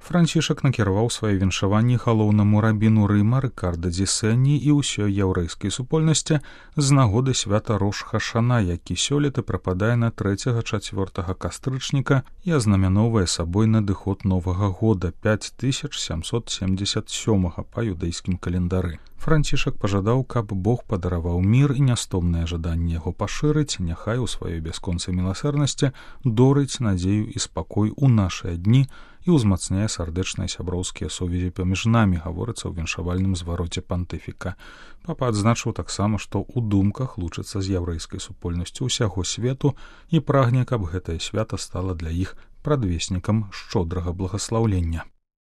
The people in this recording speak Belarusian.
Францішак накіраваў свае віншаванні галоўнаму рабіну Рыма Рыкарда ді Сені і ўсёй яўрэйскай супольнасці з нагоды свята Рош-Хашана, які сёлета прыпадае на 3-4 кастрычніка і азнаменоўвае сабой надыход Новага года 5777 па юдэйскім календары. Францішак пажадаў, каб Бог падараваў мір і нястомнае жаданне яго пашырыць, няхай у сваёй бясконцай міласэрнасці дорыць надзею і спакой у нашыя дні і ўзмацняе сардэчныя сяброўскія сувязі паміж намі, гаворыцца ў віншавальным звароце пантыфіка. Папа адзначыў таксама, што ў думках лучыцца з яўрэйскай супольнасцю ўсяго свету і прагне, каб гэтае свята стала для іх прадвеснікам шчодрага благаслаўлення.